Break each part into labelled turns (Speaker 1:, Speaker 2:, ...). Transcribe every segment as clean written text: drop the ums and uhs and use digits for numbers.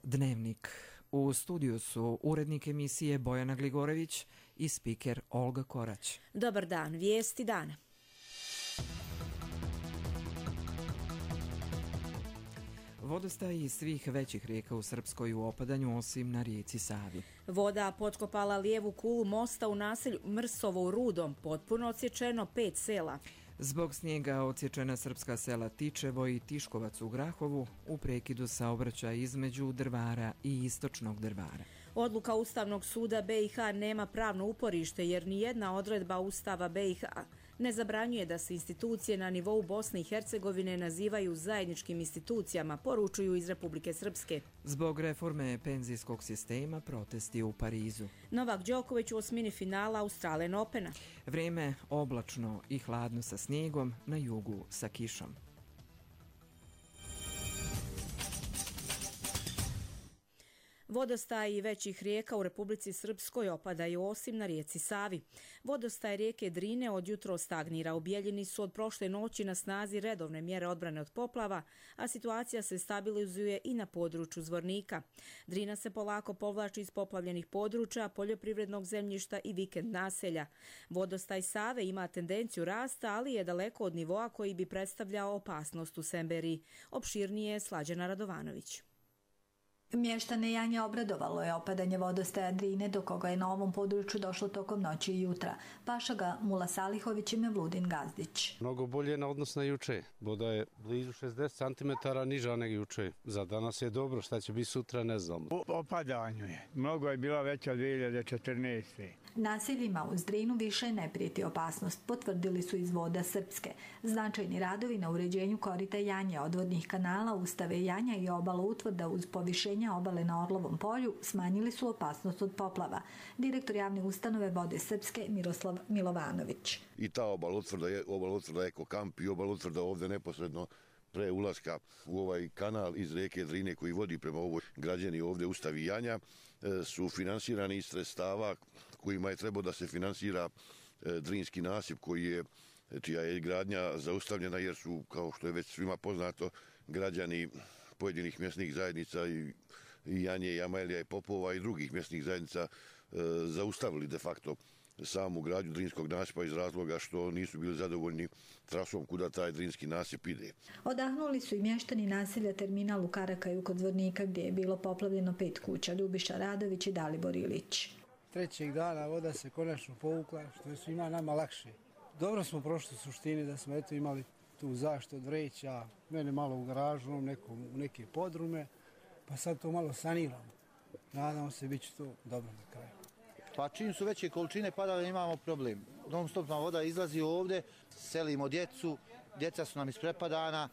Speaker 1: Dnevnik. U studiju su urednik emisije Bojana Gligorević i spiker Olga Korać.
Speaker 2: Dobar dan, vijesti dana.
Speaker 1: Vodostaj iz svih većih rijeka u Srpskoj u opadanju osim na rijeci Savi.
Speaker 2: Voda potkopala lijevu kulu mosta u naselju Mrsovo u Rudom, potpuno odsječeno 5 sela.
Speaker 1: Zbog snijega odsječena srpska sela Tičevo i Tiškovac u Grahovu, u prekidu saobraćaja između Drvara i Istočnog Drvara.
Speaker 2: Odluka Ustavnog suda BiH nema pravno uporište jer ni jedna odredba Ustava BiH ne zabranjuje da se institucije na nivou Bosne i Hercegovine nazivaju zajedničkim institucijama, poručuju iz Republike Srpske.
Speaker 1: Zbog reforme penzijskog sistema protesti u Parizu.
Speaker 2: Novak Đoković u osmini finala Australian Opena.
Speaker 1: Vrijeme oblačno i hladno sa snijegom, na jugu sa kišom.
Speaker 2: Vodostaji većih rijeka u Republici Srpskoj opadaju osim na rijeci Savi. Vodostaj rijeke Drine od jutro stagnira. U Bijeljini su od prošle noći na snazi redovne mjere odbrane od poplava, a situacija se stabilizuje i na području Zvornika. Drina se polako povlači iz poplavljenih područja, poljoprivrednog zemljišta i vikend naselja. Vodostaj Save ima tendenciju rasta, ali je daleko od nivoa koji bi predstavljao opasnost u Semberiji. Opširnije je Slađana Radovanović.
Speaker 3: Mještane Janje obradovalo je opadanje vodostaja Drine do koga je na ovom području došlo tokom noći i jutra. Paša ga Mula Salihović i Mevludin Gazdić.
Speaker 4: Mnogo bolje na odnos na juče. Voda je blizu 60 cm niža nego juče. Za danas je dobro, šta će biti sutra ne znam.
Speaker 5: U opadanju je. Mnogo je bila veća 2014.
Speaker 3: Naseljima uz Drinu više ne prijeti opasnost, potvrdili su iz Voda Srpske. Značajni radovi na uređenju korita Janje, odvodnih kanala, ustave Janja i obala utvrda uz povišenje obale na Orlovom polju smanjili su opasnost od poplava. Direktor javne ustanove Vode Srpske Miroslav Milovanović.
Speaker 6: I ta obala utvrda Eko Kamp i obala utvrda ovdje neposredno pre ulaska u ovaj kanal iz rijeke Drine koji vodi prema ovoj građani ovdje ustavi Janja su finansirani iz sredstava kojima je trebao da se finansira Drinski nasip čija je gradnja zaustavljena jer su, kao što je već svima poznato, građani pojedinih mjesnih zajednica i Janje, Jamelija i Popova i drugih mjesnih zajednica zaustavili de facto samu gradnju Drinskog nasipa iz razloga što nisu bili zadovoljni trasom kuda taj Drinski nasip ide.
Speaker 3: Odahnuli su i mještani naselja Terminal u Karakaju kod Zvornika gdje je bilo poplavljeno 5 kuća, Ljubiša Radović i Dalibor Ilić.
Speaker 7: Trećeg dana voda se konačno povukla, što je svima nama lakše. Dobro smo prošli u suštini da smo imali tu zaštitu od vreća, mene malo u garažu, u neke podrume, pa sad to malo saniramo. Nadamo se bit će to dobro na kraju.
Speaker 8: Pa čim su veće količine padale imamo problem. Non stop nam voda izlazi ovdje, selimo djecu, djeca su nam isprepadana.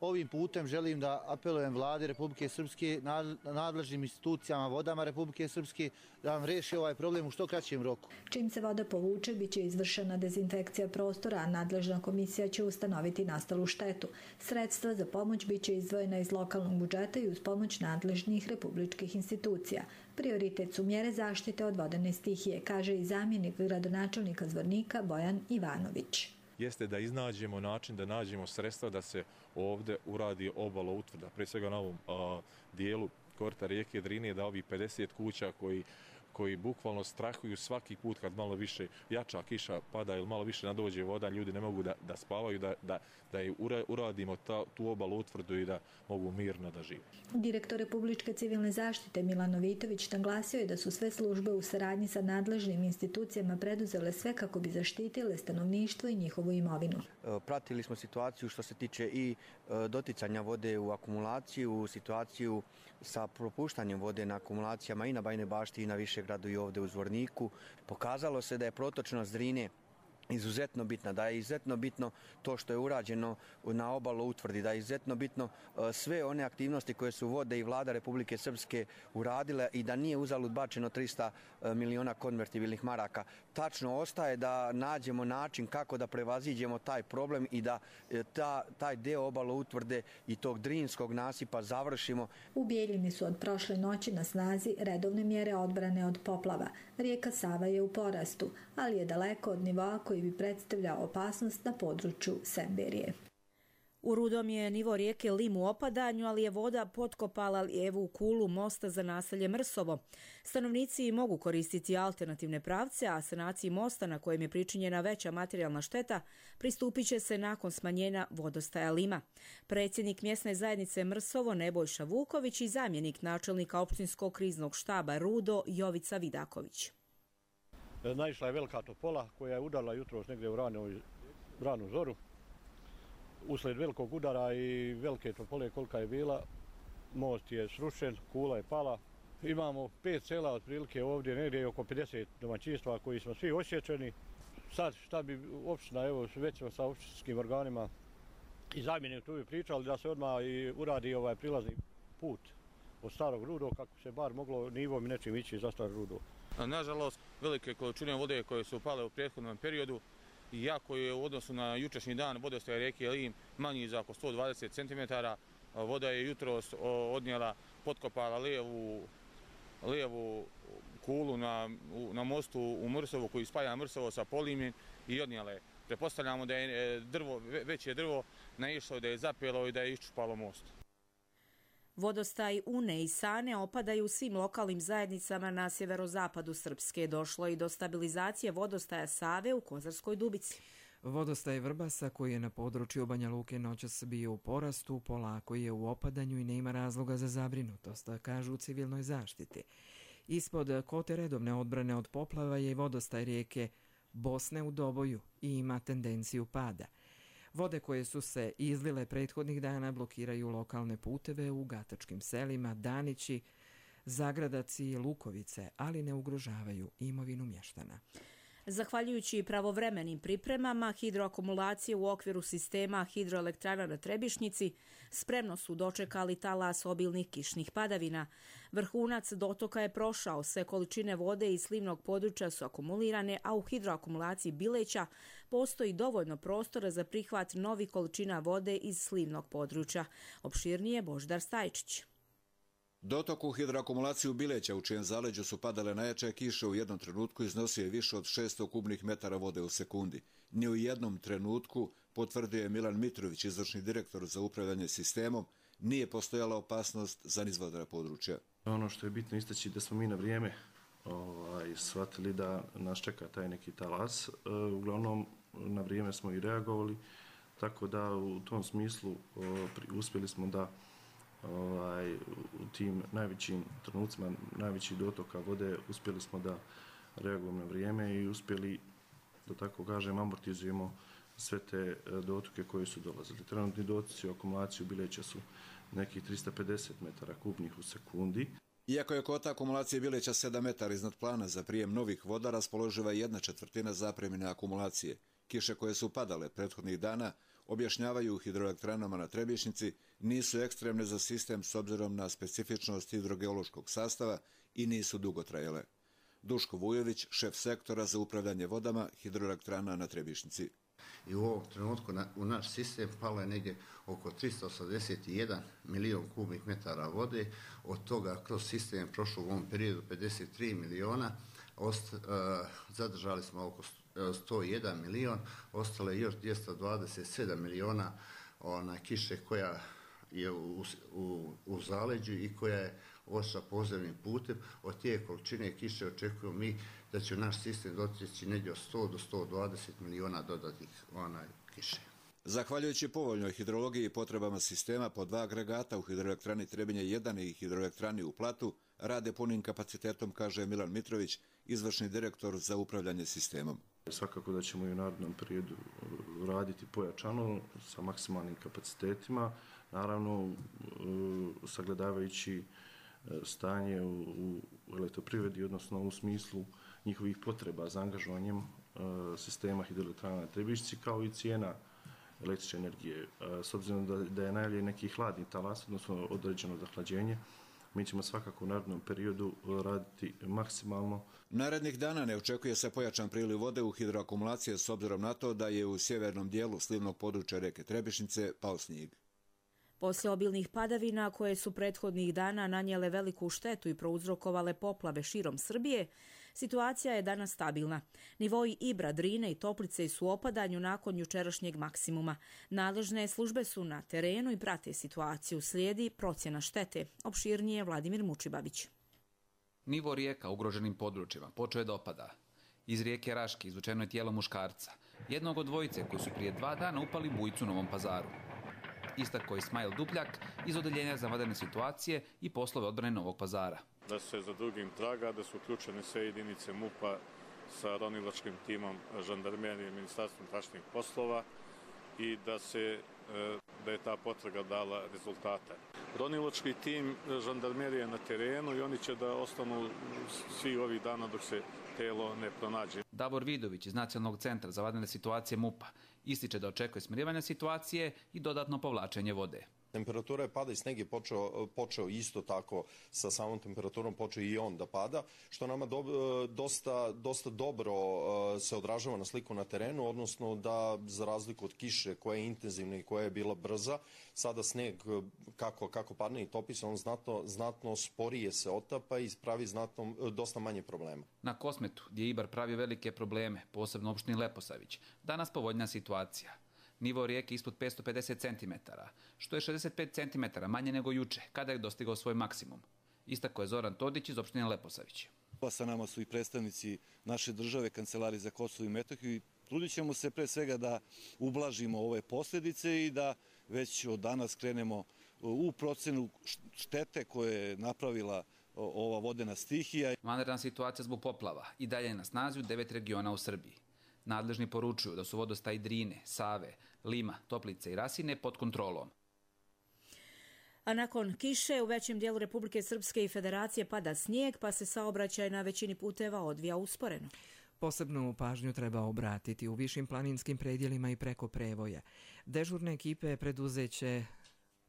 Speaker 8: Ovim putem želim da apelujem vladi Republike Srpske, nadležnim institucijama, vodama Republike Srpske, da vam riješi ovaj problem u što kraćem roku.
Speaker 3: Čim se voda povuče, bit će izvršena dezinfekcija prostora, a nadležna komisija će ustanoviti nastalu štetu. Sredstva za pomoć bit će izdvojena iz lokalnog budžeta i uz pomoć nadležnih republičkih institucija. Prioritet su mjere zaštite od vodene stihije, kaže i zamjenik gradonačelnika Zvornika Bojan Ivanović.
Speaker 9: Jeste da iznađemo način, da nađemo sredstva da se ovdje uradi obala utvrda. Prije svega na ovom dijelu korita rijeke Drine, da ovih 50 kuća koji bukvalno strahuju svaki put kad malo više jača kiša pada ili malo više nadođe voda, ljudi ne mogu da spavaju, da je uradimo tu obalu utvrdu i da mogu mirno da žive.
Speaker 3: Direktor Republičke civilne zaštite Milan Novitović naglasio je da su sve službe u saradnji sa nadležnim institucijama preduzele sve kako bi zaštitile stanovništvo i njihovu imovinu.
Speaker 10: Pratili smo situaciju što se tiče i doticanja vode u akumulaciju, situaciju sa propuštanjem vode na akumulacijama i na Bajnoj Bašti i na Višegradu i ovdje u Zvorniku. Pokazalo se da je protočnost Drine izuzetno bitna, da je izuzetno bitno to što je urađeno na obalu utvrdi, da je izuzetno bitno sve one aktivnosti koje su Vode i vlada Republike Srpske uradile i da nije uzalud bačeno 300 miliona konvertibilnih maraka. Tačno ostaje da nađemo način kako da prevaziđemo taj problem i da taj deo obale utvrde i tog Drinskog nasipa završimo.
Speaker 3: U Bijeljini su od prošle noći na snazi redovne mjere odbrane od poplava. Rijeka Sava je u porastu, ali je daleko od nivoa koji bi predstavljao opasnost na području Semberije.
Speaker 2: U Rudom je nivo rijeke Lim u opadanju, ali je voda potkopala lijevu kulu mosta za naselje Mrsovo. Stanovnici mogu koristiti alternativne pravce, a sanaciji mosta na kojem je pričinjena veća materijalna šteta pristupit će se nakon smanjenja vodostaja Lima. Predsjednik mjesne zajednice Mrsovo Nebojša Vuković i zamjenik načelnika općinskog kriznog štaba Rudo Jovica Vidaković.
Speaker 11: Naišla je velika topola koja je udarila jutros negdje u ranu zoru. Usled velikog udara i velike topole kolika je bila, most je srušen, kula je pala. Imamo 5 sela otprilike ovdje, negdje oko 50 domaćinstva koji smo svi osjećeni. Sad šta bi opština, evo već smo sa opštinskim organima i zamjenik tu bi pričali da se odmah i uradi ovaj prilazni put od Starog Rudo kako se bar moglo nivom i nečim ići za Staro Rudo.
Speaker 12: Nažalost, velike količine vode koje su upale u prethodnom periodu, iako je u odnosu na jučerašnji dan vodostaj rijeke Lim manji za oko 120 cm, voda je jutros odnijela, potkopala lijevu kulu na mostu u Mrsovu koji spaja Mrsovo sa Polimljem i odnijela je. Pretpostavljamo da je veće drvo naišlo, da je zapelo i da je iščupalo most.
Speaker 2: Vodostaj Une i Sane opadaju u svim lokalnim zajednicama na sjeverozapadu Srpske. Došlo i do stabilizacije vodostaja Save u Kozarskoj Dubici.
Speaker 1: Vodostaj Vrbasa, koji je na području Banja Luke noćas bio u porastu, polako je u opadanju i ne ima razloga za zabrinutost, kažu u civilnoj zaštiti. Ispod kote redovne odbrane od poplava je i vodostaj rijeke Bosne u Doboju i ima tendenciju pada. Vode koje su se izlile prethodnih dana blokiraju lokalne puteve u gatačkim selima Danići, Zagradaci i Lukovice, ali ne ugrožavaju imovinu mještana.
Speaker 2: Zahvaljujući pravovremenim pripremama, hidroakumulacije u okviru sistema hidroelektrana na Trebišnjici spremno su dočekali talas obilnih kišnih padavina. Vrhunac dotoka je prošao, sve količine vode iz slivnog područja su akumulirane, a u hidroakumulaciji Bileća postoji dovoljno prostora za prihvat novih količina vode iz slivnog područja. Opširnije Božidar Stajčić.
Speaker 13: Dotok u hidroakumulaciju Bileća, u čijem zaleđu su padale najjače kiše, u jednom trenutku iznosio je više od 600 kubnih metara vode u sekundi. Ni u jednom trenutku, potvrdio je Milan Mitrović, izvršni direktor za upravljanje sistemom, nije postojala opasnost za nizvodara područja.
Speaker 14: Ono što je bitno istaći da smo mi na vrijeme shvatili da nas čeka taj neki talas. Uglavnom, na vrijeme smo i reagovali, tako da u tom smislu uspjeli smo da u tim najvećim trenucima, najvećih dotoka vode, uspjeli smo da reagujemo na vrijeme i uspjeli, da tako kažem, amortizujemo sve te dotoke koje su dolazili. Trenutni dotoci u akumulaciju Bileća su nekih 350 metara kubnih u sekundi.
Speaker 13: Iako je kota akumulacije Bileća 7 metara iznad plana za prijem novih voda, raspoloživa je 1/4 zapremine akumulacije. Kiše koje su padale prethodnih dana, objašnjavaju u hidroelektranama na Trebišnjici, nisu ekstremne za sistem s obzirom na specifičnost hidrogeološkog sastava i nisu dugo trajale. Duško Vujović, šef sektora za upravljanje vodama hidroelektrana na Trebišnjici.
Speaker 15: I u ovom trenutku u naš sistem palo je negdje oko 381 milion kubnih metara vode, od toga kroz sistem je prošlo u ovom periodu 53 miliona, zadržali smo oko 101 milion, ostalo je još 227 miliona kiše koja je u zaleđu i koja je ošla podzemnim putem. Od tije količine kiše očekujemo mi da će naš sistem dotići negdje od 100 do 120 miliona dodatnih kiše.
Speaker 13: Zahvaljujući povoljnoj hidrologiji i potrebama sistema, po 2 agregata u hidroelektrani Trebinje 1 i hidroelektrani u Platu rade punim kapacitetom, kaže Milan Mitrović, izvršni direktor za upravljanje sistemom.
Speaker 14: Svakako da ćemo i u narednom periodu raditi pojačano sa maksimalnim kapacitetima, naravno sagledavajući stanje u elektroprivredi, odnosno u smislu njihovih potreba za angažovanjem sistema hidroelektrana na Trebišnjici, kao i cijena električne energije. S obzirom da je najavljen neki hladni talas, odnosno određeno zahlađenje, mi ćemo svakako u narednom periodu raditi maksimalno.
Speaker 13: Narednih dana ne očekuje se pojačan priliv vode u hidroakumulacije s obzirom na to da je u sjevernom dijelu slivnog područja reke Trebišnjice pao snijeg.
Speaker 2: Poslije obilnih padavina koje su prethodnih dana nanijele veliku štetu i prouzrokovale poplave širom Srbije, Situacija je danas stabilna. Nivoi Ibra, Drine i Toplice su u opadanju nakon jučerašnjeg maksimuma. Nadležne službe su na terenu i prate situaciju. Slijedi procjena štete. Opširnije Vladimir Mučibavić.
Speaker 16: Nivo rijeka u ugroženim područjima počeo je da opada. Iz rijeke Raške izvučeno je tijelo muškarca, jednog od dvojice koji su prije 2 dana upali bujicu u Novom Pazaru. Istakao je Ismail Dupljak iz Odeljenja za vanredne situacije i poslove odbrane Novog Pazara.
Speaker 17: Da se za drugim traga, da su uključene sve jedinice MUP-a sa ronilačkim timom žandarmerije i Ministarstvom unutrašnjih poslova i da je ta potraga dala rezultate. Ronilački tim žandarmerije na terenu i oni će da ostanu svi ovih dana dok se telo ne pronađe.
Speaker 16: Davor Vidović iz Nacionalnog centra za vanredne situacije MUP-a ističe da očekuje smirivanje situacije i dodatno povlačenje vode.
Speaker 18: Temperatura je pada i sneg je počeo isto tako sa samom temperaturom, počeo i on da pada, što nama dosta dobro se odražava na sliku na terenu, odnosno da za razliku od kiše koja je intenzivna i koja je bila brza, sada sneg kako padne i topi se, on znatno sporije se otapa i pravi dosta manje problema.
Speaker 16: Na Kosmetu, gdje Ibar pravi velike probleme, posebno opštini Leposavić, danas povoljna situacija. Nivo rijeke ispod 550 cm, što je 65 cm manje nego juče, kada je dostigao svoj maksimum. Istakao je Zoran Todić iz opštine Leposavić.
Speaker 19: Sa nama su i predstavnici naše države, Kancelarije za Kosovo i Metohiju i trudit ćemo se pre svega da ublažimo ove posljedice i da već od danas krenemo u procenu štete koje je napravila ova vodena stihija.
Speaker 16: Vanredna situacija zbog poplava i dalje je na snazi u 9 regiona u Srbiji. Nadležni poručuju da su vodostaji Drine, Save, Lima, Toplice i Rasine pod kontrolom.
Speaker 2: A nakon kiše u većem dijelu Republike Srpske i Federacije pada snijeg, pa se saobraćaj na većini puteva odvija usporeno.
Speaker 1: Posebnu pažnju treba obratiti u višim planinskim predjelima i preko prevoja. Dežurne ekipe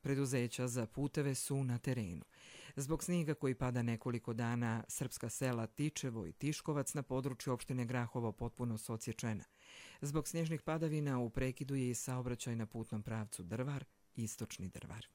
Speaker 1: preduzeća za puteve su na terenu. Zbog snijega koji pada nekoliko dana, srpska sela Tičevo i Tiškovac na području opštine Grahovo potpuno su odsječena. Zbog snježnih padavina u prekidu je i saobraćaj na putnom pravcu Drvar, Istočni Drvar.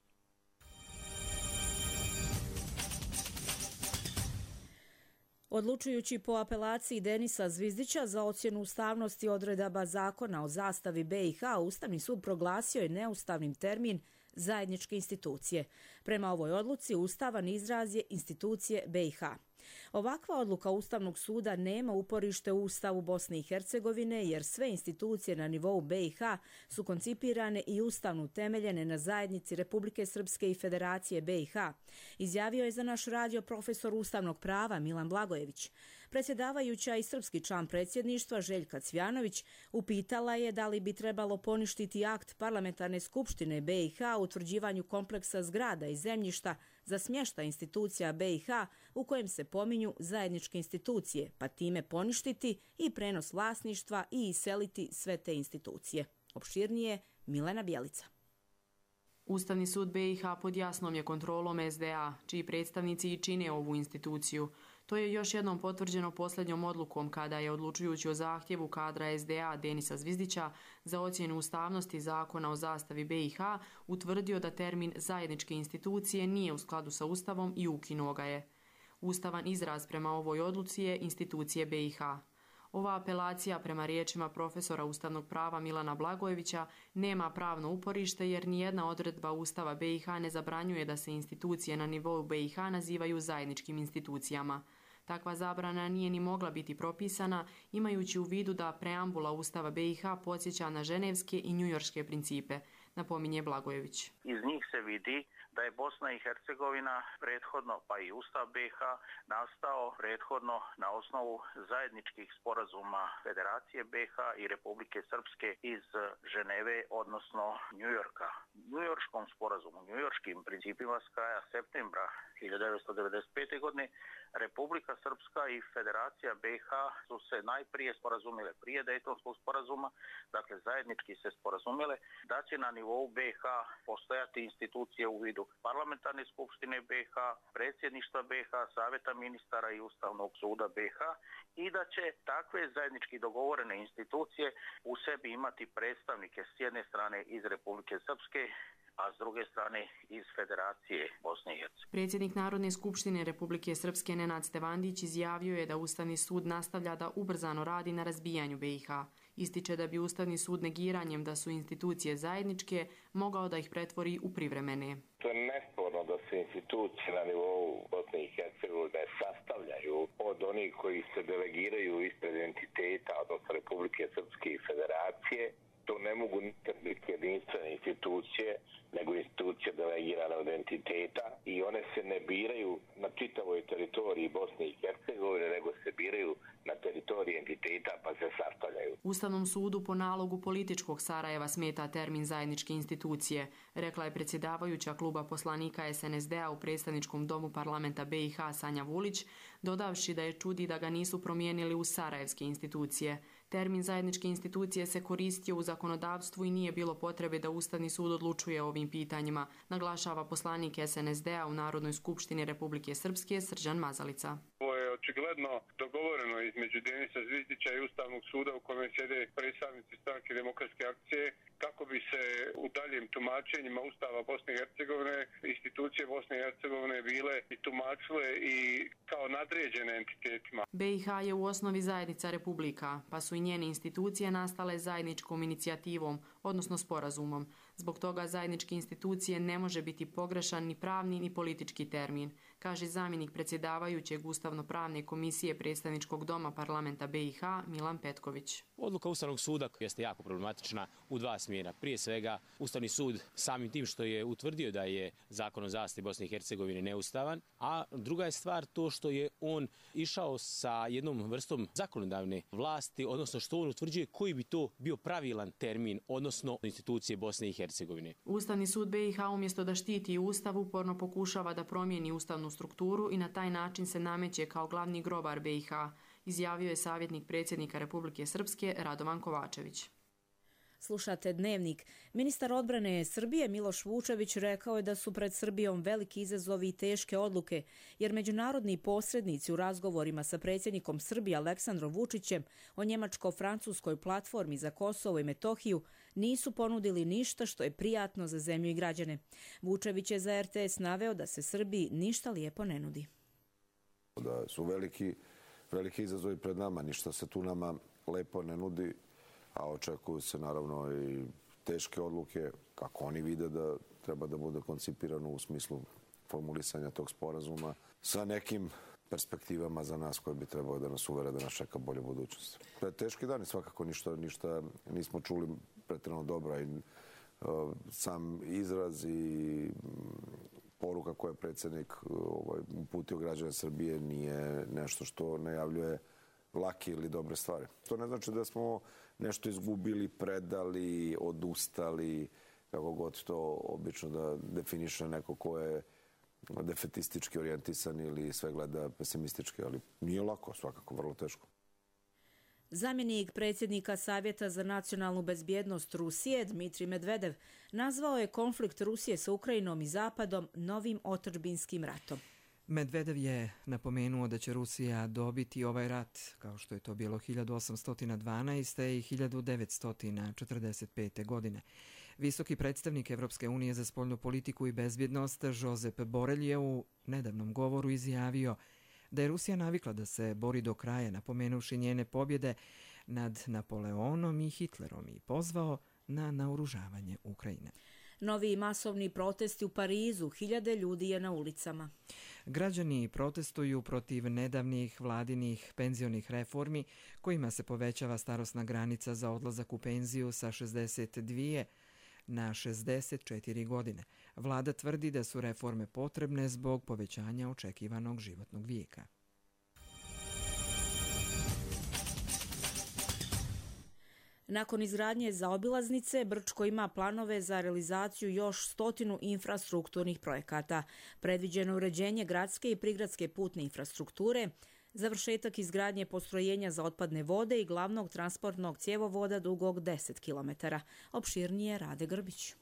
Speaker 2: Odlučujući po apelaciji Denisa Zvizdića za ocjenu ustavnosti odredaba zakona o zastavi BiH, Ustavni sud proglasio je neustavnim termin zajedničke institucije. Prema ovoj odluci ustavan izraz je institucije BiH. Ovakva odluka Ustavnog suda nema uporište u Ustavu Bosne i Hercegovine jer sve institucije na nivou BiH su koncipirane i ustavno utemeljene na zajednici Republike Srpske i Federacije BiH, izjavio je za naš radio profesor ustavnog prava Milan Blagojević. Predsjedavajuća i srpski član predsjedništva Željka Cvjanović upitala je da li bi trebalo poništiti akt Parlamentarne skupštine BiH o utvrđivanju kompleksa zgrada i zemljišta za smještaj institucija BiH u kojem se pominju zajedničke institucije, pa time poništiti i prenos vlasništva i iseliti sve te institucije. Opširnije Milena Bjelica.
Speaker 20: Ustavni sud BiH pod jasnom je kontrolom SDA, čiji predstavnici i čine ovu instituciju. To je još jednom potvrđeno posljednjom odlukom kada je odlučujući o zahtjevu kadra SDA Denisa Zvizdića za ocjenu ustavnosti zakona o zastavi BiH utvrdio da termin zajedničke institucije nije u skladu sa Ustavom i ukinuo ga je. Ustavan izraz prema ovoj odluci je institucije BiH. Ova apelacija prema riječima profesora ustavnog prava Milana Blagojevića nema pravno uporište jer nijedna odredba Ustava BiH ne zabranjuje da se institucije na nivou BiH nazivaju zajedničkim institucijama. Takva zabrana nije ni mogla biti propisana, imajući u vidu da preambula Ustava BiH podsjeća na ženevske i njujorške principe, napominje Blagojević.
Speaker 21: Iz njih se vidi da je Bosna i Hercegovina prethodno, pa i Ustav BiH, nastao prethodno na osnovu zajedničkih sporazuma Federacije BiH i Republike Srpske iz Ženeve, odnosno Njujorka. Njujorškom sporazumu, njujorškim principima s kraja septembra 1995. godine Republika Srpska i Federacija BiH su se najprije sporazumile prije Dejtonskog sporazuma, dakle zajednički se sporazumile da će na nivou BiH postojati institucije u vidu Parlamentarne skupštine BiH, predsjedništva BiH, Saveta ministara i Ustavnog suda BiH i da će takve zajednički dogovorene institucije u sebi imati predstavnike s jedne strane iz Republike Srpske, a s druge strane iz Federacije Bosne i Hercegovine.
Speaker 20: Predsjednik Narodne skupštine Republike Srpske Nenad Stevandić izjavio je da Ustavni sud nastavlja da ubrzano radi na razbijanju BiH. Ističe da bi Ustavni sud negiranjem da su institucije zajedničke mogao da ih pretvori u privremene.
Speaker 4: To je nesporno da se institucije na nivou Bosne i Hercegovine sastavljaju od onih koji se delegiraju ispred entiteta, odnosno Republike Srpske i Federacije. To ne mogu nikad biti jedinstvene institucije, nego institucije delegirane od entiteta i one se ne biraju na čitavoj teritoriji Bosne i Hercegovine, nego se biraju na teritoriji entiteta pa se sastavljaju.
Speaker 20: Ustavnom sudu po nalogu političkog Sarajeva smeta termin zajedničke institucije, rekla je predsjedavajuća kluba poslanika SNSD-a u predstavničkom domu parlamenta BiH Sanja Vulić, dodavši da je čudi da ga nisu promijenili u sarajevske institucije. Termin zajedničke institucije se koristio u zakonodavstvu i nije bilo potrebe da Ustavni sud odlučuje o ovim pitanjima, naglašava poslanik SNSD-a u Narodnoj skupštini Republike Srpske Srđan Mazalica.
Speaker 22: Ovo je očigledno dogovoreno između Denisa Zvizdića i Ustavnog suda u kome sjede predstavnici Stranke demokratske akcije kako bi se u daljim tumačenjima Ustava Bosne i Hercegovine institucije Bosne i Hercegovine bile i tumačile i kao nadređene entitetima.
Speaker 20: BiH je u osnovi zajednica republika, pa su i njene institucije nastale zajedničkom inicijativom, odnosno sporazumom. Zbog toga zajedničke institucije ne može biti pogrešan ni pravni ni politički termin, kaže zamjenik predsjedavajućeg Ustavno-pravne komisije predstavničkog doma parlamenta BiH Milan Petković.
Speaker 23: Odluka Ustavnog suda jeste jako problematična u dva smjera. Prije svega, Ustavni sud samim tim što je utvrdio da je Zakon o zaštiti Bosne i Hercegovine neustavan, a druga je stvar to što je on išao sa jednom vrstom zakonodavne vlasti, odnosno što on utvrđuje koji bi to bio pravilan termin, odnosno institucije Bosne i Hercegovine.
Speaker 20: Ustavni sud BiH umjesto da štiti Ustav uporno pokušava da promijeni ustavnu strukturu i na taj način se nameće kao glavni grobar BiH, izjavio je savjetnik predsjednika Republike Srpske Radovan Kovačević.
Speaker 2: Slušate Dnevnik. Ministar odbrane Srbije Miloš Vučević rekao je da su pred Srbijom veliki izazovi i teške odluke, jer međunarodni posrednici u razgovorima sa predsjednikom Srbije Aleksandrom Vučićem o njemačko-francuskoj platformi za Kosovo i Metohiju nisu ponudili ništa što je prijatno za zemlju i građane. Vučević je za RTS naveo da se Srbiji ništa lijepo ne nudi.
Speaker 24: Da su veliki izazovi pred nama, ništa se tu nama lepo ne nudi, a očekuju se naravno i teške odluke, kako oni vide da treba da bude koncipirano u smislu formulisanja tog sporazuma, sa nekim perspektivama za nas koje bi trebalo da nas uvere da nas čeka bolja budućnost. Teški dani, svakako ništa nismo čuli pretjerano dobra i sam izraz i poruka koju je predsjednik uputio građane Srbije nije nešto što najavljuje lake ili dobre stvari. To ne znači da smo nešto izgubili, predali, odustali, kako god to obično da definiše neko ko je defetistički orijentisan ili sve gleda pesimistički, ali nije lako, svakako vrlo teško.
Speaker 2: Zamjenik predsjednika Savjeta za nacionalnu bezbjednost Rusije Dmitrij Medvedev nazvao je konflikt Rusije sa Ukrajinom i Zapadom novim otadžbinskim ratom.
Speaker 1: Medvedev je napomenuo da će Rusija dobiti ovaj rat, kao što je to bilo 1812. i 1945. godine. Visoki predstavnik Evropske unije za spoljnu politiku i bezbjednost Josep Borrell je u nedavnom govoru izjavio da je Rusija navikla da se bori do kraja, napomenuvši njene pobjede nad Napoleonom i Hitlerom i pozvao na naoružavanje Ukrajine.
Speaker 2: Novi masovni protesti u Parizu, hiljade ljudi je na ulicama.
Speaker 1: Građani protestuju protiv nedavnih vladinih penzionih reformi kojima se povećava starosna granica za odlazak u penziju sa 62 na 64 godine. Vlada tvrdi da su reforme potrebne zbog povećanja očekivanog životnog vijeka.
Speaker 2: Nakon izgradnje zaobilaznice, Brčko ima planove za realizaciju još 100 infrastrukturnih projekata. Predviđeno uređenje gradske i prigradske putne infrastrukture, završetak izgradnje postrojenja za otpadne vode i glavnog transportnog cjevovoda dugog 10 km. Opširnije Rade Grbić.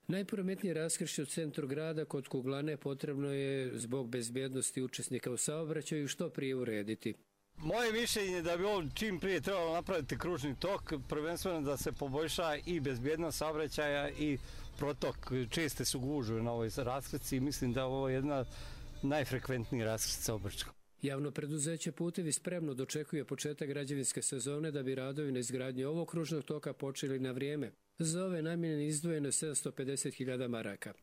Speaker 25: Najprometnije raskršće u centru grada kod Kuglane potrebno je zbog bezbjednosti učesnika u saobraćaju što prije urediti.
Speaker 26: Moje mišljenje je da bi on čim prije trebalo napraviti kružni tok, prvenstveno da se poboljša i bezbjednost saobraćaja i protok, česte su gužve na ovoj raskrstci i mislim da ovo je jedna najfrekventnija raskrstca u Brčkom.
Speaker 25: Javno preduzeće Putevi spremno dočekuje početak građevinske sezone da bi radovi na izgradnji ovog kružnog toka počeli na vrijeme. Za ove namjene izdvojeno 750.000 maraka.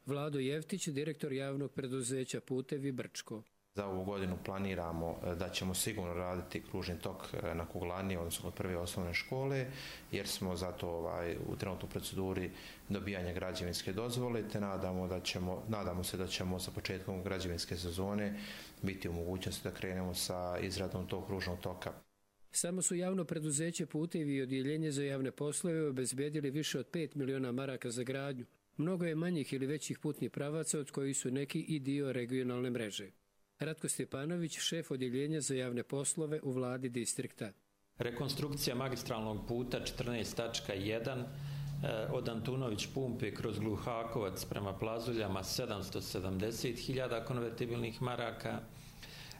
Speaker 25: Vlado Jevtić, direktor javnog preduzeća Putevi Brčko.
Speaker 5: Za ovu godinu planiramo da ćemo sigurno raditi kružni tok na Kuglani, odnosno od prve osnovne škole, jer smo zato u trenutnoj proceduri dobijanja građevinske dozvole, te nadamo se da ćemo sa početkom građevinske sezone biti u mogućnosti da krenemo sa izradom tog kružnog toka.
Speaker 25: Samo su javno preduzeće Putevi i odjeljenje za javne poslove obezbedili više od 5 miliona maraka za gradnju. Mnogo je manjih ili većih putnih pravaca od kojih su neki i dio regionalne mreže. Ratko Stjepanović, šef odjeljenja za javne poslove u vladi distrikta.
Speaker 6: Rekonstrukcija magistralnog puta 14.1 od Antunović pumpe kroz Gluhakovac prema Plazuljama 770.000 konvertibilnih maraka.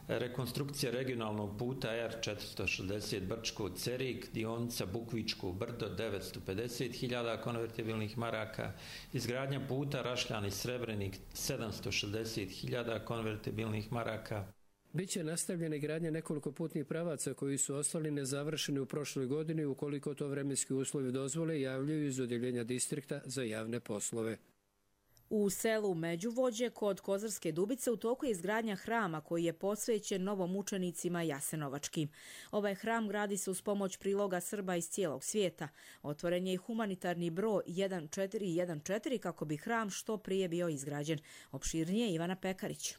Speaker 6: Rekonstrukcija regionalnog puta R460 Brčko-Cerik, dionica Bukvičko-Brdo 950.000 konvertibilnih maraka, izgradnja puta Rašljani-Srebrenik 760.000 konvertibilnih maraka.
Speaker 25: Biće nastavljena gradnja nekoliko putnih pravaca koji su ostali nezavršeni u prošloj godini ukoliko to vremenski uslovi dozvole, javljaju iz odjeljenja distrikta za javne poslove.
Speaker 2: U selu Međuvođe kod Kozarske Dubice u toku je izgradnja hrama koji je posvećen novomučenicima Jasenovačkim. Ovaj hram gradi se uz pomoć priloga Srba iz cijelog svijeta. Otvoren je i humanitarni broj 1414 kako bi hram što prije bio izgrađen. Opširnije Ivana Pekarić.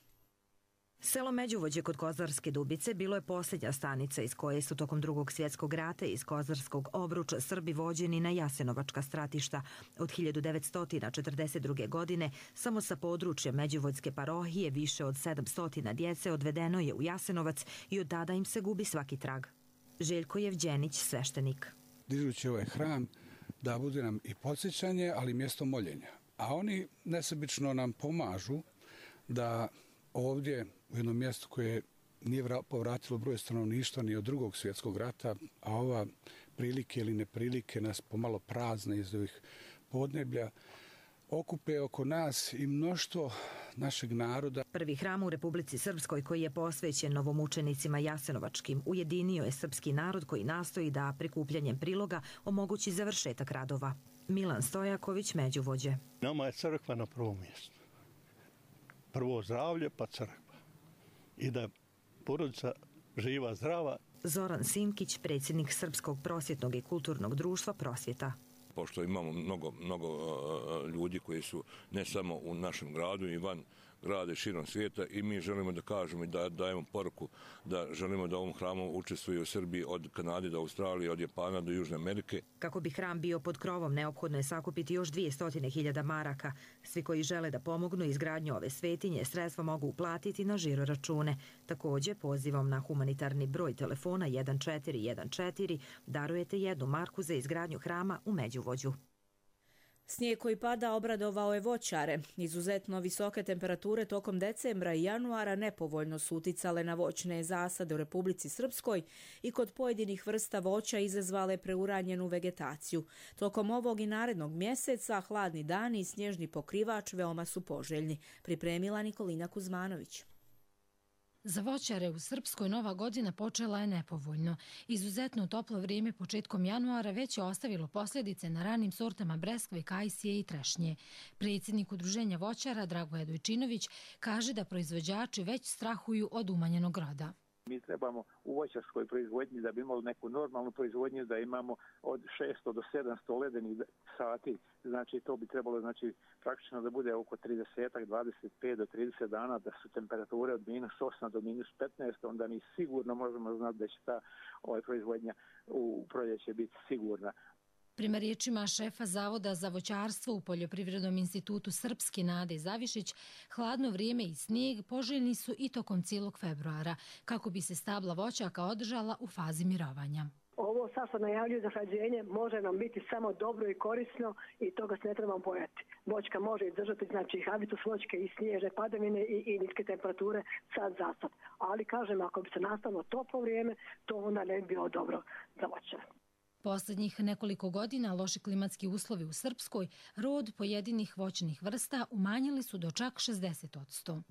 Speaker 7: Selo Međuvođe kod Kozarske Dubice bilo je posljednja stanica iz koje su tokom Drugog svjetskog rata iz Kozarskog obruča Srbi vođeni na Jasenovačka stratišta. Od 1942. godine samo sa područja Međuvođske parohije više od 700 djece odvedeno je u Jasenovac i od tada im se gubi svaki trag. Željko Jevđenić, sveštenik.
Speaker 8: Dižući ovaj hram da bude nam i podsjećanje, ali i mjesto moljenja. A oni nesebično nam pomažu da ovdje u jednom mjestu koje nije povratilo broj stanovništva ni od Drugog svjetskog rata, a ova prilike ili neprilike nas pomalo prazne iz ovih podneblja, okupe oko nas i mnoštvo našeg naroda.
Speaker 7: Prvi hram u Republici Srpskoj koji je posvećen novomučenicima Jasenovačkim ujedinio je srpski narod koji nastoji da prikupljanjem priloga omogući završetak radova. Milan Stojaković, Međuvođe.
Speaker 9: Nama je crkva na prvom mjestu. Prvo zdravlje, pa crkva. I da je porodica živa, zdrava.
Speaker 7: Zoran Simkić, predsjednik Srpskog prosvjetnog i kulturnog društva Prosvjeta.
Speaker 10: Pošto imamo mnogo ljudi koji su ne samo u našem gradu i van grada i širom svijeta i mi želimo da kažemo i da dajemo poruku da želimo da ovom hramu učestvuju u Srbiji od Kanade do Australije, od Japana do Južne Amerike.
Speaker 7: Kako bi hram bio pod krovom, neophodno je sakupiti još 200.000 maraka. Svi koji žele da pomognu izgradnju ove svetinje sredstva mogu uplatiti na žiro račune. Također, pozivom na humanitarni broj telefona 1414 darujete 1 marku za izgradnju hrama u Međuvođu.
Speaker 2: Snijeg koji pada obradovao je voćare. Izuzetno visoke temperature tokom decembra i januara nepovoljno su uticale na voćne zasade u Republici Srpskoj i kod pojedinih vrsta voća izazvale preuranjenu vegetaciju. Tokom ovog i narednog mjeseca hladni dani i snježni pokrivač veoma su poželjni, pripremila Nikolina Kuzmanović.
Speaker 27: Za voćare u Srpskoj nova godina počela je nepovoljno. Izuzetno toplo vrijeme početkom januara već je ostavilo posljedice na ranim sortama breskve, kajsije i trešnje. Predsjednik udruženja voćara Dragoje Dojčinović kaže da proizvođači već strahuju od umanjenog roda.
Speaker 28: Mi trebamo u voćarskoj proizvodnji da bi imali neku normalnu proizvodnju, da imamo od 600 do 700 ledenih sati. Znači to bi trebalo praktično da bude oko 30-25 do 30 dana, da su temperature od -8 do -15, onda mi sigurno možemo znati da će ta proizvodnja u proljeće biti sigurna.
Speaker 27: Prema riječima šefa Zavoda za voćarstvo u Poljoprivrednom institutu Srpske Nade Zavišić, hladno vrijeme i snijeg poželjni su i tokom cijelog februara, kako bi se stabla voćaka održala u fazi mirovanja.
Speaker 29: Ovo sad što najavljuju zahlađenje može nam biti samo dobro i korisno i toga se ne trebamo bojati. Voćka može izdržati, habitus voćke i snježne padavine i niske temperature sad za sad. Ali kažem, ako bi se nastavilo toplo vrijeme, to onda ne bi bilo dobro za voćare.
Speaker 27: Posljednjih nekoliko godina loši klimatski uslovi u Srpskoj rod pojedinih voćnih vrsta umanjili su do čak 60%.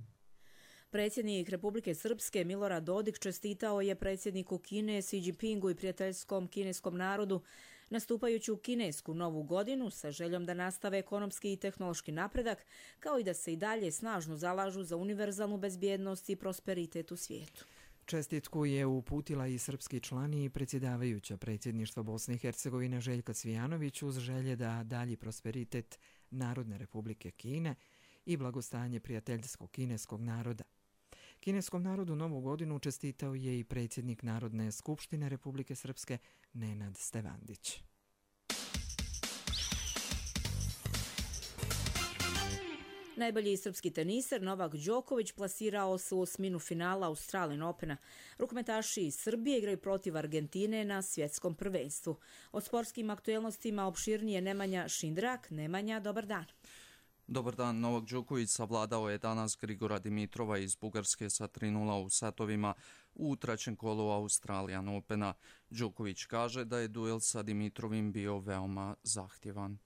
Speaker 2: Predsjednik Republike Srpske Milorad Dodik čestitao je predsjedniku Kine Xi Jinpingu i prijateljskom kineskom narodu nastupajući u kinesku novu godinu sa željom da nastave ekonomski i tehnološki napredak, kao i da se i dalje snažno zalažu za univerzalnu bezbjednost i prosperitet u svijetu.
Speaker 1: Čestitku je uputila i srpski član i predsjedavajuća predsjedništva Bosne i Hercegovine Željka Cvijanović uz želje da dalji prosperitet Narodne Republike Kine i blagostanje prijateljskog kineskog naroda. Kineskom narodu novu godinu čestitao je i predsjednik Narodne skupštine Republike Srpske Nenad Stevandić.
Speaker 2: Najbolji srpski teniser Novak Đoković plasirao se u osminu finala Australian Opena. Rukometaši iz Srbije igraju protiv Argentine na svjetskom prvenstvu. O sportskim aktuelnostima opširnije Nemanja Šindrak. Nemanja, dobar dan.
Speaker 3: Dobar dan, Novak Đoković savladao je danas Grigora Dimitrova iz Bugarske sa 3:0 u setovima u trećem kolu Australian Opena. Đoković kaže da je duel sa Dimitrovim bio veoma zahtjevan.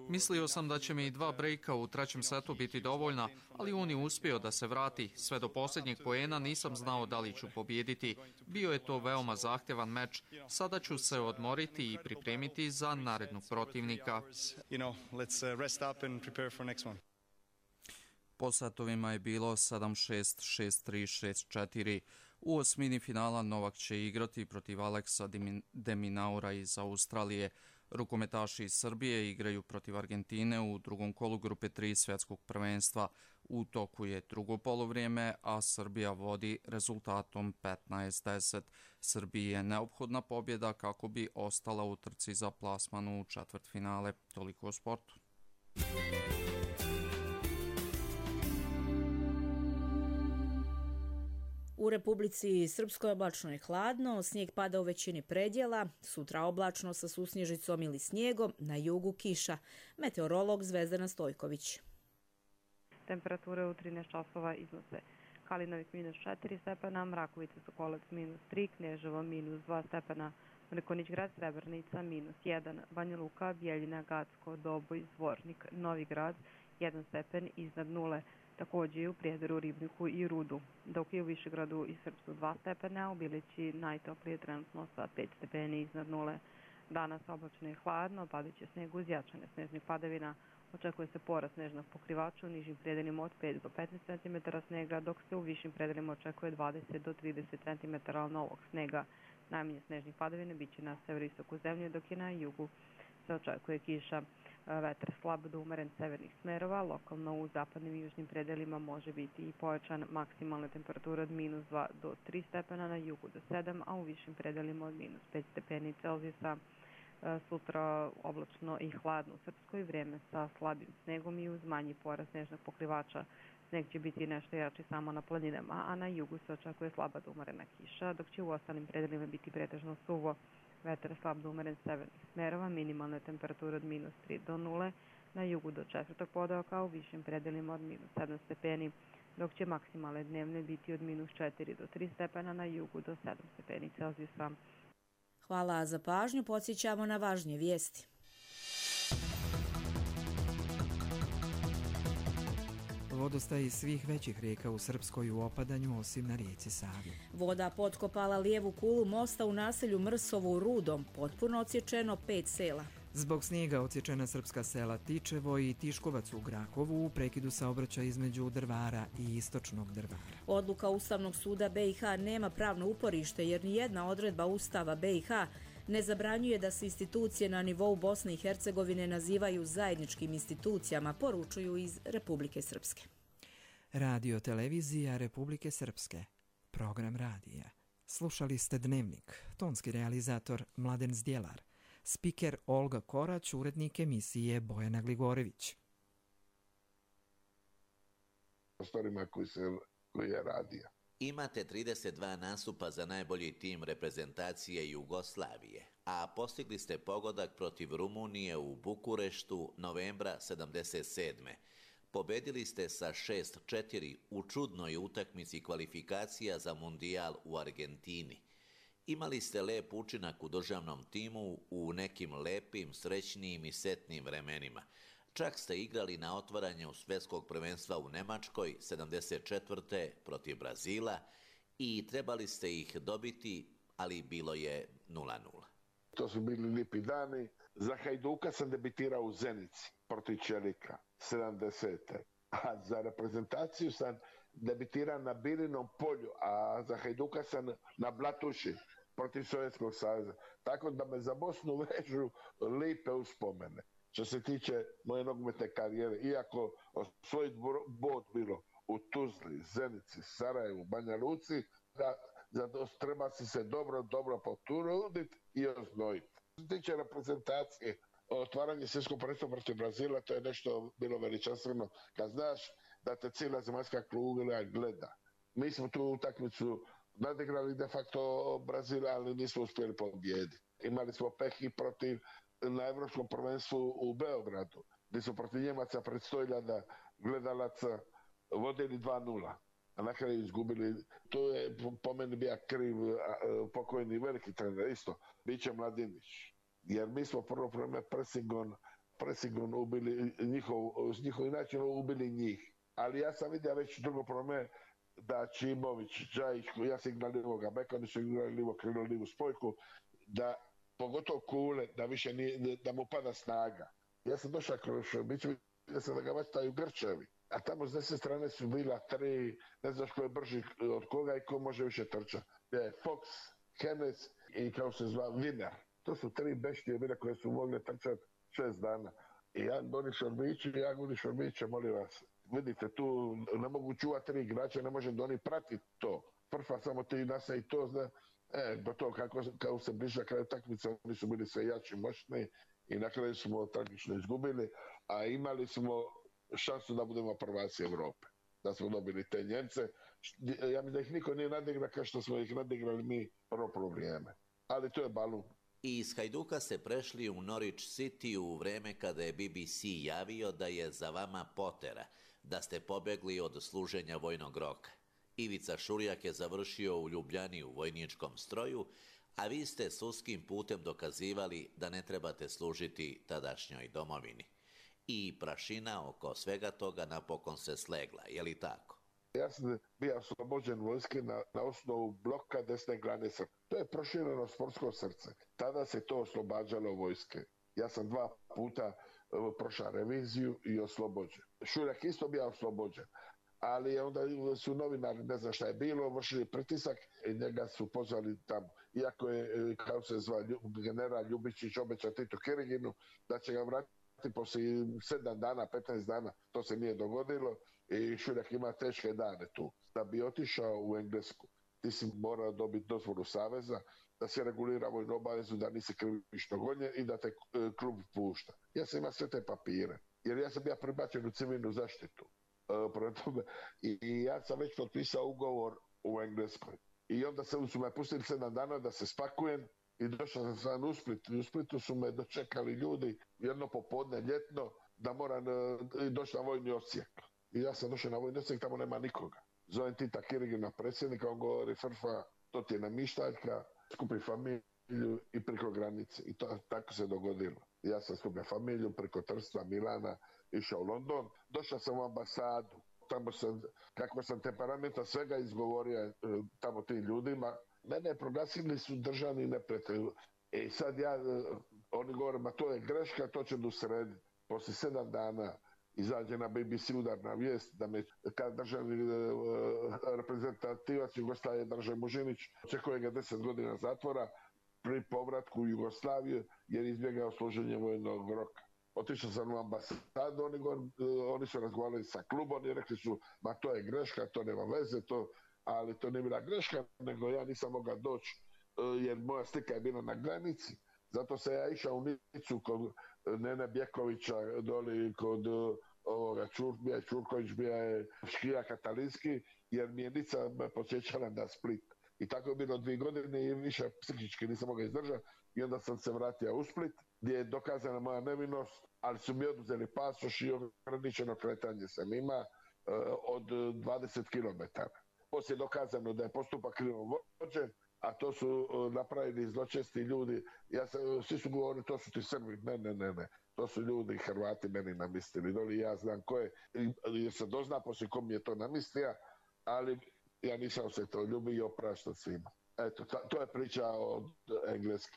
Speaker 11: Mislio sam da će mi i 2 brejka u trećem setu biti dovoljna, ali on je uspio da se vrati. Sve do posljednjeg poena nisam znao da li ću pobijediti. Bio je to veoma zahtjevan meč. Sada ću se odmoriti i pripremiti za narednog protivnika.
Speaker 3: Po setovima je bilo 7-6, 6-3, 6-4. U osmini finala Novak će igrati protiv Aleksa Deminaura iz Australije. Rukometaši iz Srbije igraju protiv Argentine u drugom kolu grupe 3 svjetskog prvenstva. U toku je drugo polovrijeme, a Srbija vodi rezultatom 15-10. Srbiji je neophodna pobjeda kako bi ostala u trci za plasman u četvrtfinale. Toliko o sportu.
Speaker 2: U Republici Srpskoj oblačno je hladno, snijeg pada u većini predjela, sutra oblačno sa susnježicom ili snijegom, na jugu kiša. Meteorolog Zvezdana Stojković.
Speaker 12: Temperature u 13 časova iznose Kalinovik -4 stepena, Mrakovica Sokolac -3, Kneževo -2 stepena, Mrkonić grad Srebrnica -1, Banja Luka, Bijeljina, Gacko, Doboj, Zvornik, Novi Grad 1 stepen iznad nule. Također u Prijederu, Ribniku i Rudu, dok je u Višegradu i Srpsku 2 stepena, u Bilići najtoplije trenutno sa 5 stepeni iznad nule. Danas oblačno je hladno, padaće sneg uz jačane snežnih padavina. Očekuje se porast snežnog pokrivača u nižim predelima od 5 do 15 cm snega, dok se u višim predelima očekuje 20 do 30 cm novog snega. Najmanje snežnih padavina biće na severoistoku zemlje, dok je na jugu se očekuje kiša. Vetar slab do umeren severnih smerova, lokalno u zapadnim i južnim predelima može biti i pojačan, maksimalna temperatura od -2 do 3 stepena, na jugu do 7, a u višim predelima od -5 stepeni Celzijusa. Sutra oblačno i hladno u Srpskoj, vrijeme sa slabim snegom i uz manji porast snežnog pokrivača. Sneg će biti nešto jači samo na planinama, a na jugu se očekuje slaba do umorena kiša, dok će u ostalim predelima biti pretežno suvo. Vetar slab do umeren severnih smerova, minimalna temperatura od -3 do 0, na jugu do 4. podoka, a u višim predelima od -7 stepeni, dok će maksimalne dnevne biti od -4 do 3 stepena, na jugu do 7 stepeni Celzijusa.
Speaker 2: Hvala za pažnju, podsjećamo na važnije vijesti.
Speaker 1: Vodostaj svih većih rijeka u Srpskoj u opadanju osim na rijeci Savi.
Speaker 2: Voda potkopala lijevu kulu mosta u naselju Mrsovo u Rudom, potpuno odsječeno 5 sela.
Speaker 1: Zbog snijega odsječena srpska sela Tičevo i Tiškovac u Grakovu u prekidu saobraćaja između Drvara i Istočnog Drvara.
Speaker 2: Odluka Ustavnog suda BiH nema pravno uporište jer nijedna odredba Ustava BiH ne zabranjuje da se institucije na nivou Bosne i Hercegovine nazivaju zajedničkim institucijama, poručuju iz Republike Srpske.
Speaker 1: Radio televizija Republike Srpske. Program radija. Slušali ste Dnevnik. Tonski realizator Mladen Zdjelar. Spiker Olga Korać, urednik emisije Bojana Gligorević.
Speaker 13: Prostorima koji je radio.
Speaker 14: Imate 32 nastupa za najbolji tim reprezentacije Jugoslavije, a postigli ste pogodak protiv Rumunije u Bukureštu novembra 77. Pobedili ste sa 6-4 u čudnoj utakmici kvalifikacija za Mundijal u Argentini. Imali ste lep učinak u državnom timu u nekim lepim, srećnijim i setnim vremenima. Čak ste igrali na otvaranju svjetskog prvenstva u Nemačkoj 74. protiv Brazila i trebali ste ih dobiti, ali bilo je 0:0.
Speaker 13: To su bili lijepi dani. Za Hajduka sam debitirao u Zenici protiv Čelika 70. A za reprezentaciju sam debitirao na Bilinom polju, a za Hajduka sam na Blatuši protiv Sovjetskog saveza. Tako da me za Bosnu vežu lijepe uspomene. Što se tiče moje nogometne karijere, iako osvojit bod bilo u Tuzli, Zenici, Sarajevu, Banja Luci, treba se dobro potruditi i oznojiti. Što se tiče reprezentacije, otvaranje svjetskog prvenstva protiv Brazila, to je nešto bilo veličanstveno kad znaš da te cijela zemaljska kugla gleda. Mi smo tu utakmicu nadigrali de facto Brazila, ali nismo uspjeli pobijediti. Imali smo peh i na Evropskom prvenstvu u Beogradu, gdje su protiv Njemaca pred 100.000 gledalaca vodili 2:0, a na kraju izgubili. To je po meni bio kriv pokojni veliki trener, isto, Biće Mladinić. Jer mi smo prvo vreme presingom ubili njihovim načinom ubili njih. Ali ja sam vidio već drugo vreme da Čimović, Džajić, ja sam igrali livoga beka, oni su igrali livo krilo, livu spojku, da pogotovo Kule, da više nije, da mu pada snaga. Ja sam došao kroz Šobićevi, ja sam da ga vaćtaju Grčevi, a tamo s desne strane su bila 3, ne znaš ko je brži od koga i ko može više trčati. Fox, Hennes i kao se zva Wiener. To su 3 beštije bile koje su mogle trčati 6 dana. I ja govorim Šorbiću, molim vas, vidite tu ne mogu čuvati 3 igrača, ne može da oni pratiti to. Prva samo ti nasa i to zna. Do toga kako se bliža kraj utakmice, oni su bili sve jači, moćni i na kraju smo tragično izgubili, a imali smo šansu da budemo prvaci Evrope, da smo dobili te Njemce. Ja mislim da ih niko nije nadigrao kao što smo ih nadigrali mi prvo vrijeme, ali to je balun.
Speaker 14: I iz Hajduka ste prešli u Norwich City u vreme kada je BBC javio da je za vama potera, da ste pobegli od služenja vojnog roka. Ivica Šurjak je završio u Ljubljani u vojničkom stroju, a vi ste sudskim putem dokazivali da ne trebate služiti tadašnjoj domovini. I prašina oko svega toga napokon se slegla, je li tako?
Speaker 13: Ja sam bio oslobođen vojske na osnovu bloka desne grane srca. To je prošireno sportsko srce. Tada se to oslobađalo vojske. Ja sam 2 puta prošao reviziju i oslobođen. Šurjak isto bio oslobođen. Ali onda su novinari, ne znam šta je bilo, vršili pritisak i njega su pozvali tamo. Iako je, kao se zva, general Ljubičić obećao Titu Kiriginu da će ga vratiti poslije 7 dana, 15 dana. To se nije dogodilo i Šurjak ima teške dane tu. Da bi otišao u Englesku, ti si morao dobiti dozvolu saveza, da se regulira vojnu obavezu, da nisi krivično gonjen i da te klub pušta. Ja sam imao sve te papire, jer ja sam bio prebačen u civilnu zaštitu. I ja sam već potpisao ugovor u Engleskoj. I onda su me pustili 7 dana da se spakujem i došao sam u Split. I u Splitu su me dočekali ljudi jedno popodne ljetno da moram doći na vojni odsjek. I ja sam došao na vojni odsjek, tamo nema nikoga. Zovem Tita Kirigina predsjednika, on govori Frfa, to ti je namještaljka, skupi familiju i preko granice. I tako se dogodilo. Ja sam skupio familiju preko Trsta, Milana, išao u London, došao sam u ambasadu, tamo sam, kako sam temperamenta svega izgovorio tamo tim ljudima, mene proglasili su državni neprijatelj. I sad oni govore, ma to je greška, to će do sredi. Poslije 7 dana izađe na BBC udarna vijest da me kao državni reprezentativac Jugoslavije Dražen Mužinić očekuje ga 10 godina zatvora pri povratku u Jugoslaviju jer izbjegao služenje vojnog roka. Otišao sam u ambasadu, oni su razgovarali sa klubom i rekli su, ma to je greška, to nema veze, ali to nije bila greška, nego ja nisam mogao doći jer moja slika je bila na granici. Zato se ja išao u Nicu kod Nene Bjekovića, doli kod ovoga Čurković, bija je Škija Katalinski, jer mi je Nica me podsjećala na Split. I tako je bilo 2 godine i više psihički nisam mogao izdržati i onda sam se vratio u Split gdje je dokazana moja nevinost, ali su mi oduzeli pasoš i ograničeno kretanje sam ima od 20 km. poslije dokazano da je postupak krivo vođen, a to su napravili zločesti ljudi. Svi su govorili, to su ti Srbi. Ne. To su ljudi, Hrvati meni namistili. Doli ja znam ko je, jer se dozna poslije ko mi je to namistija, ali ja nisam se to ljubio i opraštam svima. Eto, to je priča od Engleske.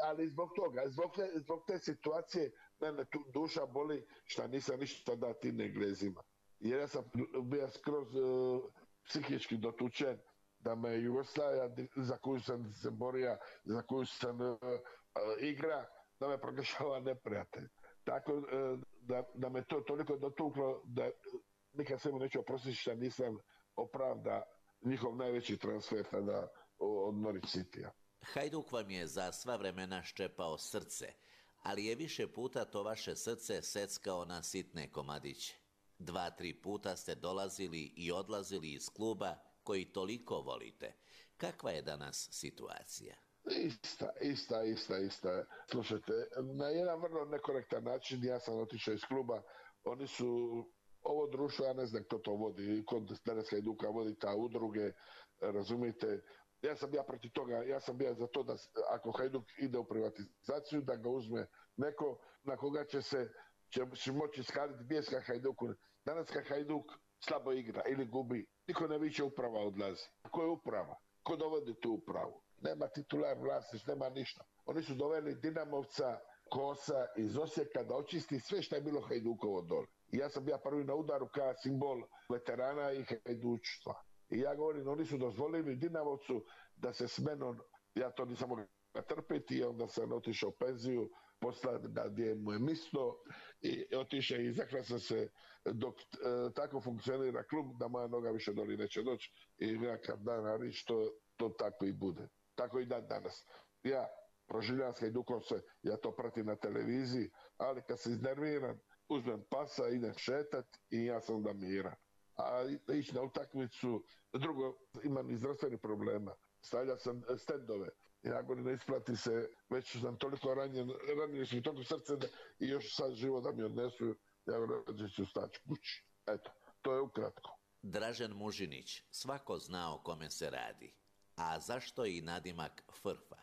Speaker 13: Ali zbog toga, zbog te situacije, mene tu duša boli što nisam ništa da tim Englezima. Jer ja sam bio skroz psihički dotučen da me Jugoslavija, za koju sam se borio, za koju sam igra, da me proglašava neprijatelj. Tako da me to toliko dotuklo da nikad se mu neću oprostiti što nisam opravda njihov najveći transfer tada od Norwich Citya.
Speaker 14: Hajduk vam je za sva vremena ščepao srce, ali je više puta to vaše srce seckao na sitne komadiće. 2-3 puta ste dolazili i odlazili iz kluba koji toliko volite. Kakva je danas situacija?
Speaker 13: Ista. Slušajte, na jedan vrlo nekorektan način ja sam otišao iz kluba. Oni su, ovo društvo, ja ne znam kto to vodi, kod danas Hajduka vodi ta udruge, razumijete. Ja sam protiv toga, ja sam bio za to da ako Hajduk ide u privatizaciju, da ga uzme neko na koga će moći skaliti bijes ka Hajduku. Danas kad Hajduk slabo igra ili gubi, niko ne viče uprava odlazi. Ko je uprava? Ko dovodi tu upravu? Nema titular vlasništva, nema ništa. Oni su doveli Dinamovca, Kosa iz Osijeka da očisti sve što je bilo Hajdukovo dole. I ja sam bio prvi na udaru kao simbol veterana i hajdučstva. I ja govorim, oni su dozvolili Dinamovcu da se s menom, ja to nisam mogao trpiti, i onda sam otišao u penziju, poslao gdje mu je misto i otišao i zakrasao se dok tako funkcionira klub da moja noga više doli neće doći i nekakav dan narič to tako i bude. Tako i danas. Ja proživljam s Hajdukom sve, ja to pratim na televiziji, ali kad se iznerviram, uzmem pasa, idem šetat i ja sam onda miran. A ići na utakmicu, drugo, imam i zdravstvenih problema. Stavlja sam stendove. Ja govorim, ne isplati se, već sam toliko ranjeni su mi toliko srce i još sad živo da mi odnesu, ja govorim, ću stać kući. Eto, to je ukratko.
Speaker 14: Dražen Mužinić, svako zna o kome se radi. A zašto i nadimak Frfa?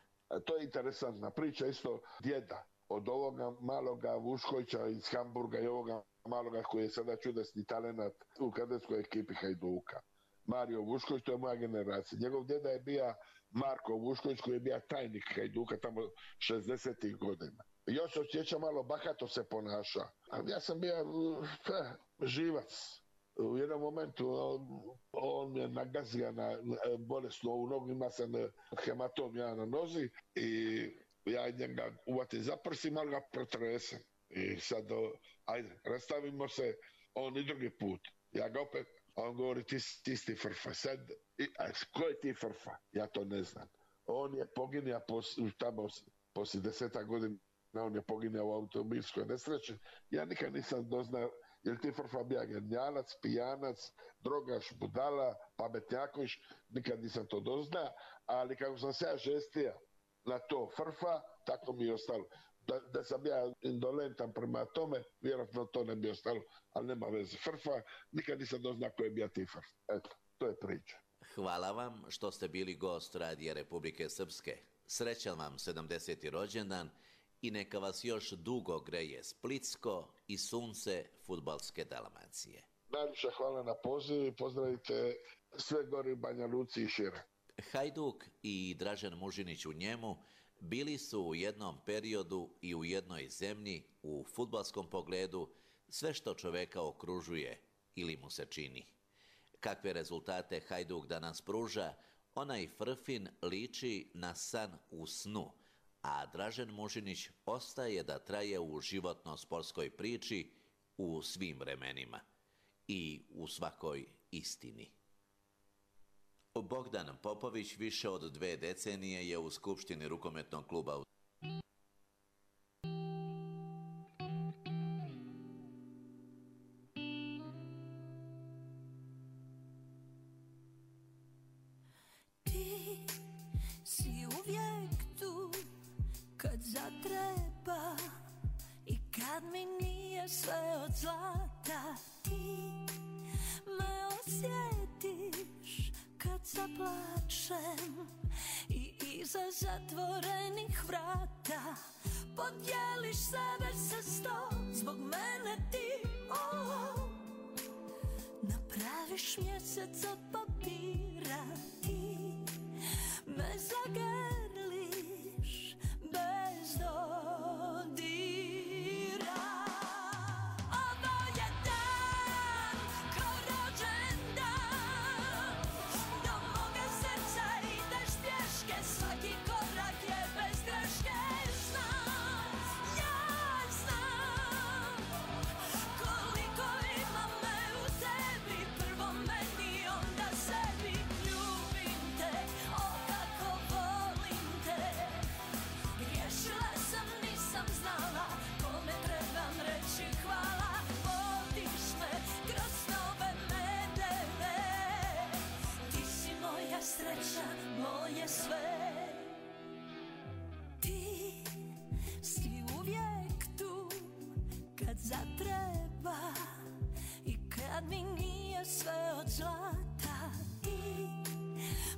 Speaker 13: To je interesantna priča, isto djeda od ovoga maloga Vuškovića iz Hamburga i ovoga maloga koji je sada čudesni talenat u kadetskoj ekipi Hajduka. Mario Vušković, to je moja generacija. Njegov djeda je bio Marko Vušković koji je bio tajnik Hajduka tamo 60. godina. Još se osjeća malo bahato se ponaša. Ali ja sam bio živac. U jednom momentu on je nagazio na bolesnu ovu nogu, ima sam hematom ja na nozi i ja njega uvatim za prst i malo ga protresem. I sad, ajde, rastavimo se, on i drugi put. Ja ga opet, on govori, ti si Frfa. Sad, ko je ti Frfa? Ja to ne znam. On je poginio tamo poslije 10 godina, on je poginio u automobilskoj nesreći. Ja nikad nisam doznao, jer ti Frfa bija genijalac, pijanac, drogaš, budala, pametnjaković, nikad nisam to doznao, ali kako sam se ja žestio na to Frfa, tako mi je ostalo. Da sam ja indolentan prema tome, vjerojatno to ne bi ostalo, ali nema veze. Frfa, nikad nisam doznao ko je bio ti Frfa. Eto, to je priča.
Speaker 14: Hvala vam što ste bili gost Radija Republike Srpske. Srećan vam 70. rođendan i neka vas još dugo greje splitsko i sunce fudbalske Dalmacije.
Speaker 13: Najljepša hvala na pozivu i pozdravite sve gori u Banja Luci i šire.
Speaker 14: Hajduk i Dražen Mužinić u njemu bili su u jednom periodu i u jednoj zemlji u fudbalskom pogledu sve što čoveka okružuje ili mu se čini. Kakve rezultate Hajduk danas pruža, onaj Frfin liči na san u snu, a Dražen Mužinić ostaje da traje u životno-sportskoj priči u svim vremenima i u svakoj istini. Bogdan Popović više od 2 decenije je u Skupštini rukometnog kluba.
Speaker 4: Ti si uvijek tu kad zatreba i kad mi nije sve od zlata. Ti me osjetiš zaplačem i iza zatvorenih vrata podijeliš sebe sa 100 zbog mene ti, napraviš mjesec od papira, ti me zagrliš bez dodira. Sreća, moje sve. Ti si uvijek tu kad zatreba i kad mi nije sve od zlata. Ti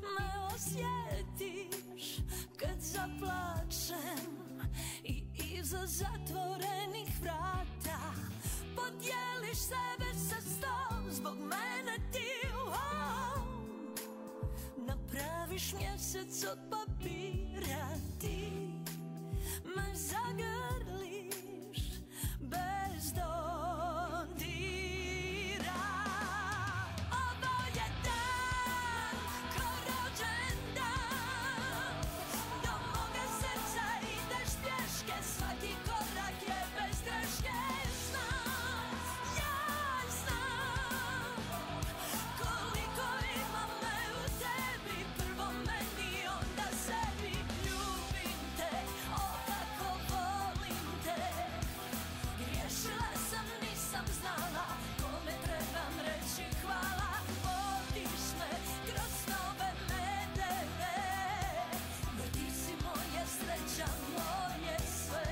Speaker 4: me osjetiš kad zaplačem i iza zatvorenih vrata podijeliš sebe sa 100 zbog mene ti, napraviš mjesec od papira, ti me zagrliš bez dodira. Ovo je dan ko rođendan, do moga srca ideš pješke, svaki korak je bez greške. Znam, ja znam koliko ima me u tebi, prvo meni, onda sebi. Ljubim te, o kako volim te. Griješila sam, nisam znala kome trebam reći hvala. Vodiš me kroz nove medeve, jer ti si moja sreća, moje sve.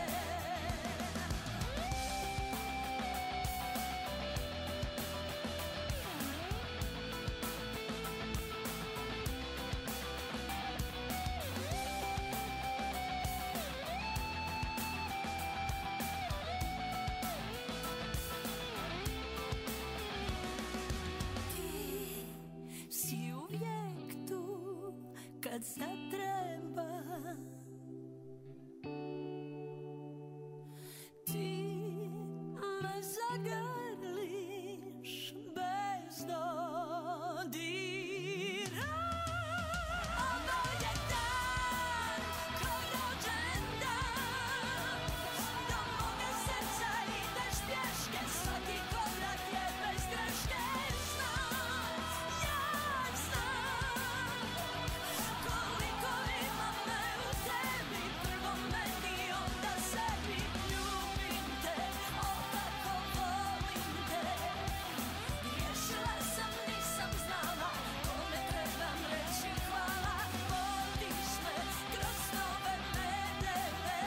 Speaker 4: Ti si uvijek tu kad zatreba. Ti me zagrliš bez dodira. Ovo je dan ko rođendan, do moga srca ideš pješke, svaki korak je bez greške. Znam, ja znam koliko ima me u tebi, prvo meni, onda sebi. Ljubim te, o kako volim te. Griješila sam, nisam znala kome trebam reći hvala. Vodiš me kroz nove medeve,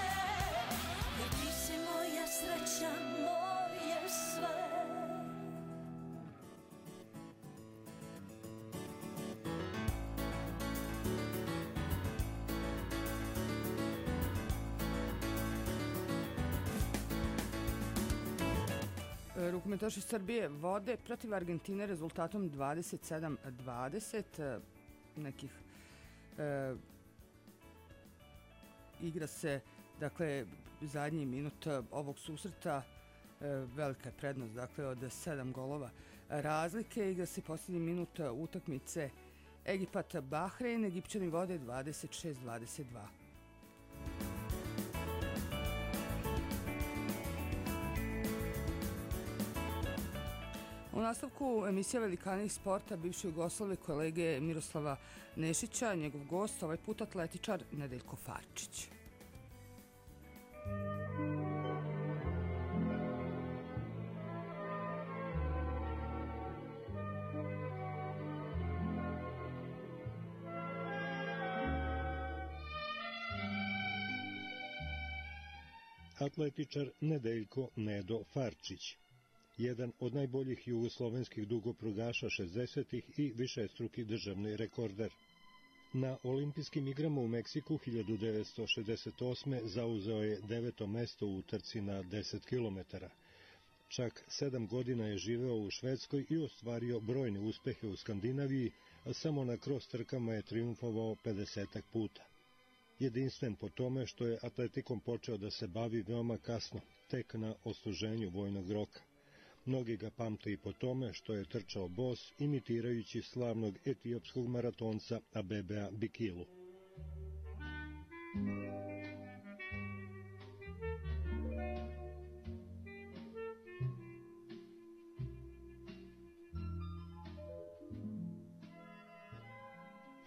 Speaker 4: jer ti si moja sreća, moje sve.
Speaker 15: Rukometaši Srbije vode protiv Argentine rezultatom 27-20. Nekih igra se, dakle, zadnji minut ovog susreta, velika je prednost, dakle, od 7 golova razlike. Igra se posljednji minut utakmice Egipat-Bahrein, Egipćani vode 26-22. U nastavku emisija Velikani sporta bivši Jugoslave kolege Miroslava Nešića, njegov gost, ovaj put atletičar Nedeljko Farčić.
Speaker 16: Atletičar Nedeljko Nedo Farčić jedan od najboljih jugoslovenskih dugoprugaša 60-ih i višestruki državni rekorder. Na olimpijskim igrama u Meksiku 1968. zauzeo je 9. mesto u utrci na 10 km. Čak 7 godina je živeo u Švedskoj i ostvario brojne uspehe u Skandinaviji, a samo na cross trkama je triumfovao 50 puta. Jedinstven po tome što je atletikom počeo da se bavi veoma kasno, tek na odsluženju vojnog roka. Mnogi ga pamte i po tome što je trčao bos, imitirajući slavnog etiopskog maratonca Abebea Bikilu.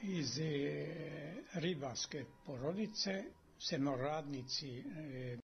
Speaker 17: Iz ribarske porodice, sedmoradnici